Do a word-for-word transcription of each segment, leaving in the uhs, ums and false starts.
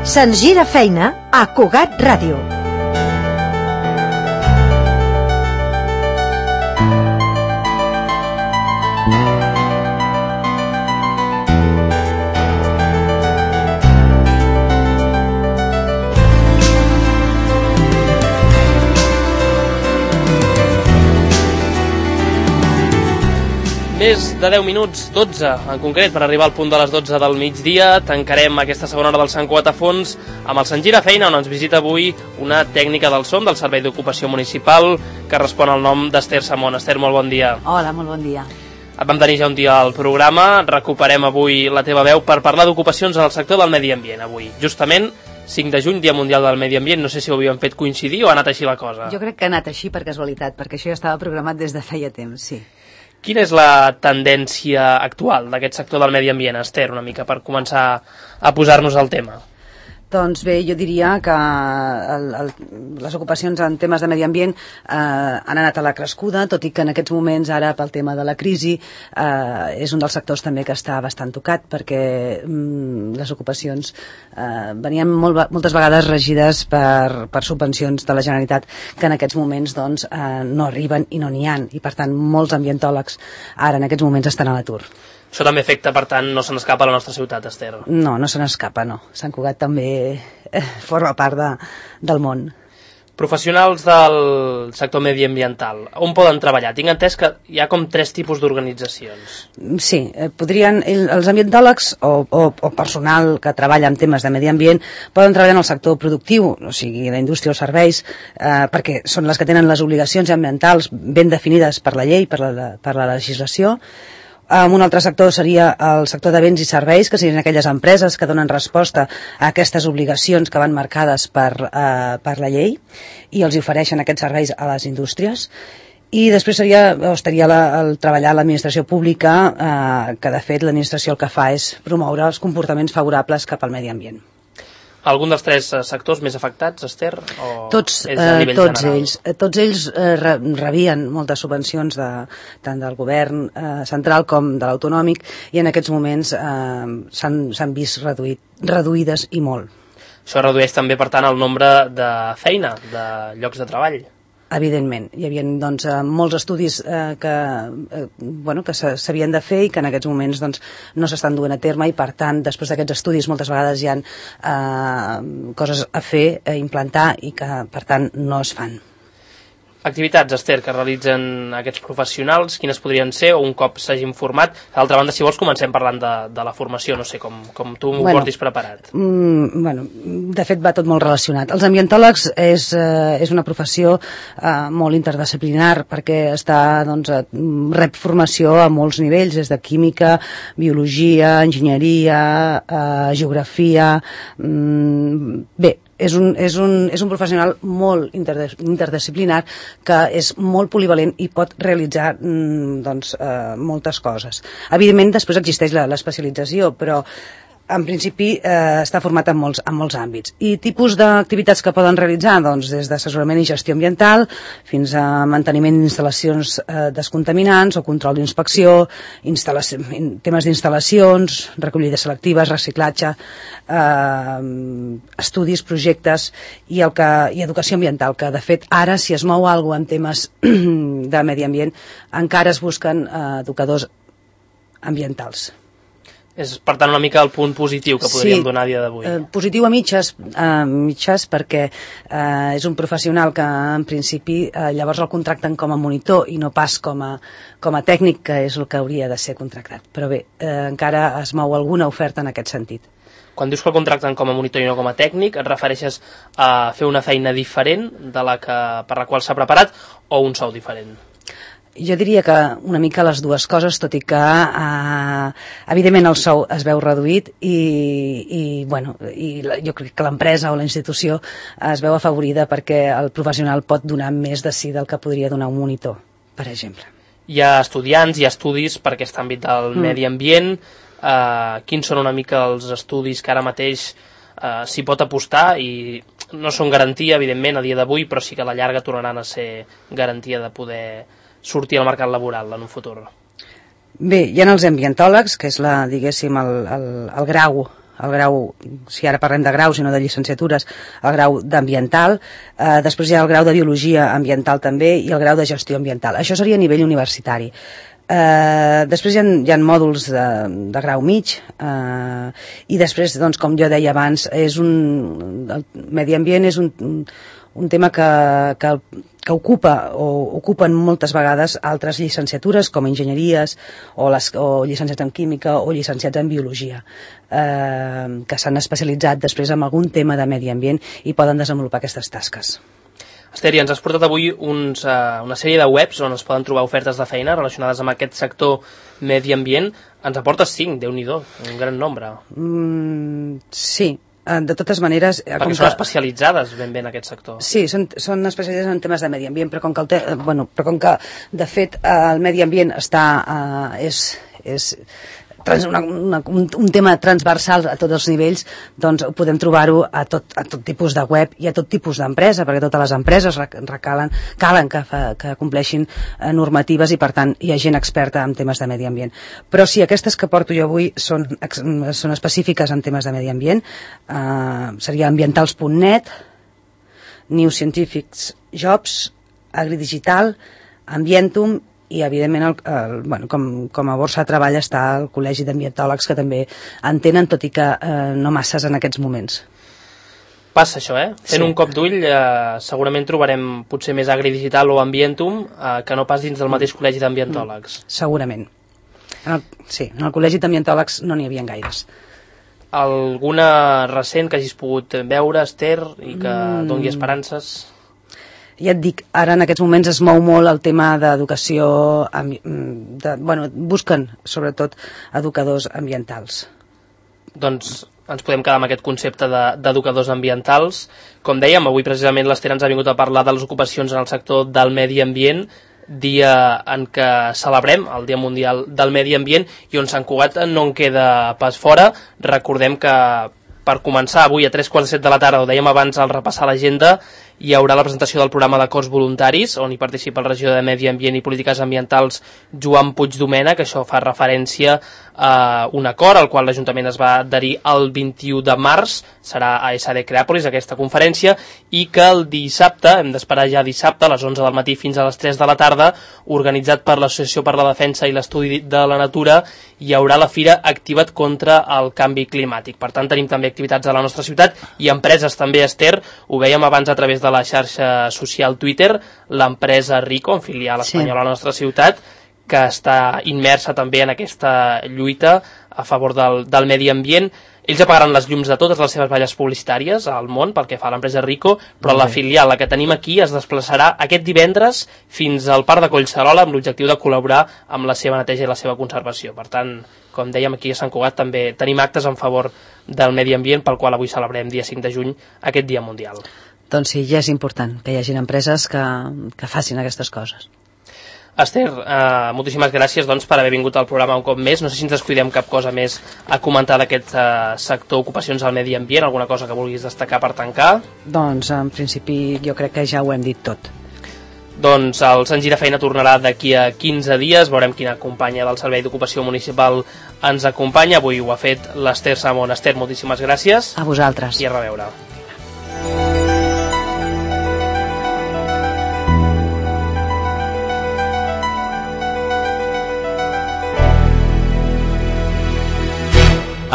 Se'ns gira feina a Cugat Ràdio. Més de deu minuts, dotze en concret, per arribar al punt de les dotze del migdia. Tancarem aquesta segona hora del Sant Cugat a fons amb el Sant Gira Feina, on ens visita avui una tècnica del son del Servei d'Ocupació Municipal que respon al nom d'Ester Samón. Ester, molt bon dia. Hola, molt bon dia. Et vam tenir ja un dia al programa, recuperem avui la teva veu per parlar d'ocupacions en el sector del medi ambient avui. Justament cinc de juny, Dia Mundial del Medi Ambient, no sé si ho havíem fet coincidir o ha anat així la cosa. Jo crec que ha anat així per casualitat, perquè això ja estava programat des de feia temps, sí. Quina és la tendència actual d'aquest sector del medi ambient, Ester, una mica per començar a posar-nos al tema? Doncs bé, jo diria que el, el, les ocupacions en temes de medi ambient eh, han anat a la crescuda, tot i que en aquests moments, ara pel tema de la crisi, eh, és un dels sectors també que està bastant tocat, perquè mm, les ocupacions eh, venien molt, moltes vegades regides per, per subvencions de la Generalitat, que en aquests moments doncs, eh, no arriben i no n'hi ha, i per tant molts ambientòlegs ara en aquests moments estan a l'atur. Això també afecta, per tant, no se n'escapa a la nostra ciutat, Ester. No, no se n'escapa, no. Sant Cugat també eh, forma part de, del món. Professionals del sector mediambiental, on poden treballar? Tinc entès que hi ha com tres tipus d'organitzacions. Sí, eh, podrien, els ambientòlegs o, o, o personal que treballa en temes de medi ambient poden treballar en el sector productiu, o sigui, la indústria o serveis, eh, perquè són les que tenen les obligacions ambientals ben definides per la llei, per la, per la legislació. Um, un altre sector seria el sector de béns i serveis, que serien aquelles empreses que donen resposta a aquestes obligacions que van marcades per, uh, per la llei i els ofereixen aquests serveis a les indústries. I després seria, o estaria la, el treballar a l'administració pública, uh, que de fet l'administració el que fa és promoure els comportaments favorables cap al medi ambient. Algun dels tres sectors més afectats, Ester? O tots, és a nivell eh, tots general? ells, tots ells eh, rebien moltes subvencions de, tant del govern eh, central com de l'autonòmic, i en aquests moments eh, s'han vist reduït, reduïdes i molt. Això redueix també, per tant, el nombre de feina, de llocs de treball. Evidentment, hi havia doncs, molts estudis eh, que, eh, bueno, que s'havien de fer i que en aquests moments doncs, no s'estan duent a terme, i per tant, després d'aquests estudis moltes vegades hi ha eh, coses a fer, a implantar, i que per tant no es fan. Activitats, Ester, que realitzen aquests professionals, quines podrien ser, o un cop s'hagin format? D'altra banda, si vols, comencem parlant de, de la formació, no sé, com, com tu m'ho bueno, portis preparat. Mm, bueno, de fet va tot molt relacionat. Els ambientòlegs és, eh, és una professió eh, molt interdisciplinar, perquè està, doncs, rep formació a molts nivells, des de química, biologia, enginyeria, eh, geografia, mm, bé, És un, és, un, és un professional molt interdisciplinar, que és molt polivalent i pot realitzar mm, doncs, eh, moltes coses. Evidentment, després existeix l'especialització, però en principi eh, està format en molts, en molts àmbits. I tipus d'activitats que poden realitzar, doncs, des d'assessorament i gestió ambiental fins a manteniment d'instal·lacions eh, descontaminants o control d'inspecció, temes d'instal·lacions, recollides selectives, reciclatge, eh, estudis, projectes i, el que, i educació ambiental, que de fet ara, si es mou alguna cosa en temes de medi ambient, encara es busquen eh, educadors ambientals. És, per tant, una mica el punt positiu que podríem sí, donar a dia d'avui. Eh, positiu a mitges, eh, mitges perquè eh, és un professional que, en principi, eh, llavors el contracten com a monitor i no pas com a, com a tècnic, que és el que hauria de ser contractat. Però bé, eh, encara es mou alguna oferta en aquest sentit. Quan dius que el contracten com a monitor i no com a tècnic, et refereixes a fer una feina diferent de la que, per la qual s'ha preparat, o un sou diferent? Jo diria que una mica les dues coses, tot i que eh, evidentment el sou es veu reduït i, i, bueno, i la, jo crec que l'empresa o la institució es veu afavorida perquè el professional pot donar més de si del que podria donar un monitor, per exemple. Hi ha estudiants, hi ha estudis per aquest àmbit del mm. medi ambient. Eh, quins són una mica els estudis que ara mateix eh, s'hi pot apostar, i no són garantia, evidentment, a dia d'avui, però sí que a la llarga tornaran a ser garantia de poder sortir al mercat laboral en un futur? Bé, hi ha els ambientòlegs, que és la, diguéssim, el, el, el grau el grau, si ara parlem de graus i no de llicenciatures, el grau d'ambiental, eh, després hi ha el grau de biologia ambiental també i el grau de gestió ambiental. Això seria a nivell universitari. Eh, després hi ha, hi ha mòduls de, de grau mig eh, i després, doncs, com jo deia abans, és un, el medi ambient és un, un tema que, que, que ocupa o ocupen moltes vegades altres llicenciatures com enginyeries o, les, o llicenciats en química o llicenciats en biologia eh, que s'han especialitzat després en algun tema de medi ambient i poden desenvolupar aquestes tasques. Esther, ens has portat avui uns, uh, una sèrie de webs on es poden trobar ofertes de feina relacionades amb aquest sector medi ambient. Ens aportes cinc, Déu-n'hi-do, un gran nombre. Mm, sí, de totes maneres... Perquè són que... especialitzades ben bé en aquest sector. Sí, són, són especialitzades en temes de medi ambient, però com que, el te... bueno, però com que de fet el medi ambient està... Uh, és, és trans, una, una, un, un tema transversal a tots els nivells, doncs podem trobar-ho a tot, a tot tipus de web i a tot tipus d'empresa, perquè totes les empreses recalen, calen que, fa, que compleixin normatives i per tant hi ha gent experta en temes de medi ambient. Però sí, aquestes que porto jo avui són, són específiques en temes de medi ambient, eh, seria ambientals punt net, New Scientific Jobs, Agridigital, Ambientum i evidentment el, el, bueno, com, com a borsa de treball està el Col·legi d'Ambientòlegs que també en tenen, tot i que eh, no masses en aquests moments. Passa això, eh? Fent sí. un cop d'ull eh, segurament trobarem potser més Agridigital o Ambientum eh, que no pas dins del mateix Col·legi d'Ambientòlegs. Mm, segurament. En el, sí, en el Col·legi d'Ambientòlegs no n'hi havia gaires. Alguna recent que hagis pogut veure, Esther, i que mm. doni esperances? Ja et dic, ara en aquests moments es mou molt el tema d'educació, de, bueno, busquen sobretot educadors ambientals. Doncs ens podem quedar amb aquest concepte d'educadors de, ambientals. Com dèiem, avui precisament l'Esther ens ha vingut a parlar de les ocupacions en el sector del medi ambient, dia en què celebrem el Dia Mundial del Medi Ambient i on Sant Cugat no en queda pas fora. Recordem que per començar avui a tres quarts de set de la tarda, ho dèiem abans al repassar l'agenda, hi haurà la presentació del programa d'acords voluntaris, on hi participa el regidor de Medi Ambient i Polítiques Ambientals Joan Puigdomena, que això fa referència a un acord al qual l'Ajuntament es va adherir el vint-i-u de març, serà a S D Creàpolis aquesta conferència, i que el dissabte, hem d'esperar ja dissabte, a les onze del matí fins a les tres de la tarda, organitzat per l'Associació per la Defensa i l'Estudi de la Natura, hi haurà la Fira Activa't contra el Canvi Climàtic. Per tant, tenim també activitats a la nostra ciutat i empreses també, Esther, ho veiem abans a través de la xarxa social Twitter, l'empresa Rico, en filial espanyola sí. a la nostra ciutat, que està immersa també en aquesta lluita a favor del, del medi ambient. Ells apagaran les llums de totes les seves valles publicitàries al món pel que fa a l'empresa Rico, però okay. la filial, la que tenim aquí, es desplaçarà aquest divendres fins al Parc de Collserola amb l'objectiu de col·laborar amb la seva neteja i la seva conservació. Per tant, com dèiem, aquí a Sant Cugat també tenim actes en favor del medi ambient, pel qual avui celebrem dia cinc de juny aquest Dia Mundial. Doncs sí, ja és important que hi hagin empreses que, que facin aquestes coses. Esther, eh, moltíssimes gràcies doncs, per haver vingut al programa un cop més. No sé si ens descuidem cap cosa més a comentar d'aquest eh, sector ocupacions al medi ambient, alguna cosa que vulguis destacar per tancar? Doncs en principi jo crec que ja ho hem dit tot. Doncs el Sant Gira Feina tornarà d'aquí a quinze dies, veurem quina companya del Servei d'Ocupació Municipal ens acompanya. Avui ho ha fet l'Esther Samón. Esther, moltíssimes gràcies. A vosaltres. I a reveure.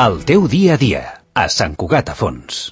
El teu dia a dia, a Sant Cugat a Fons.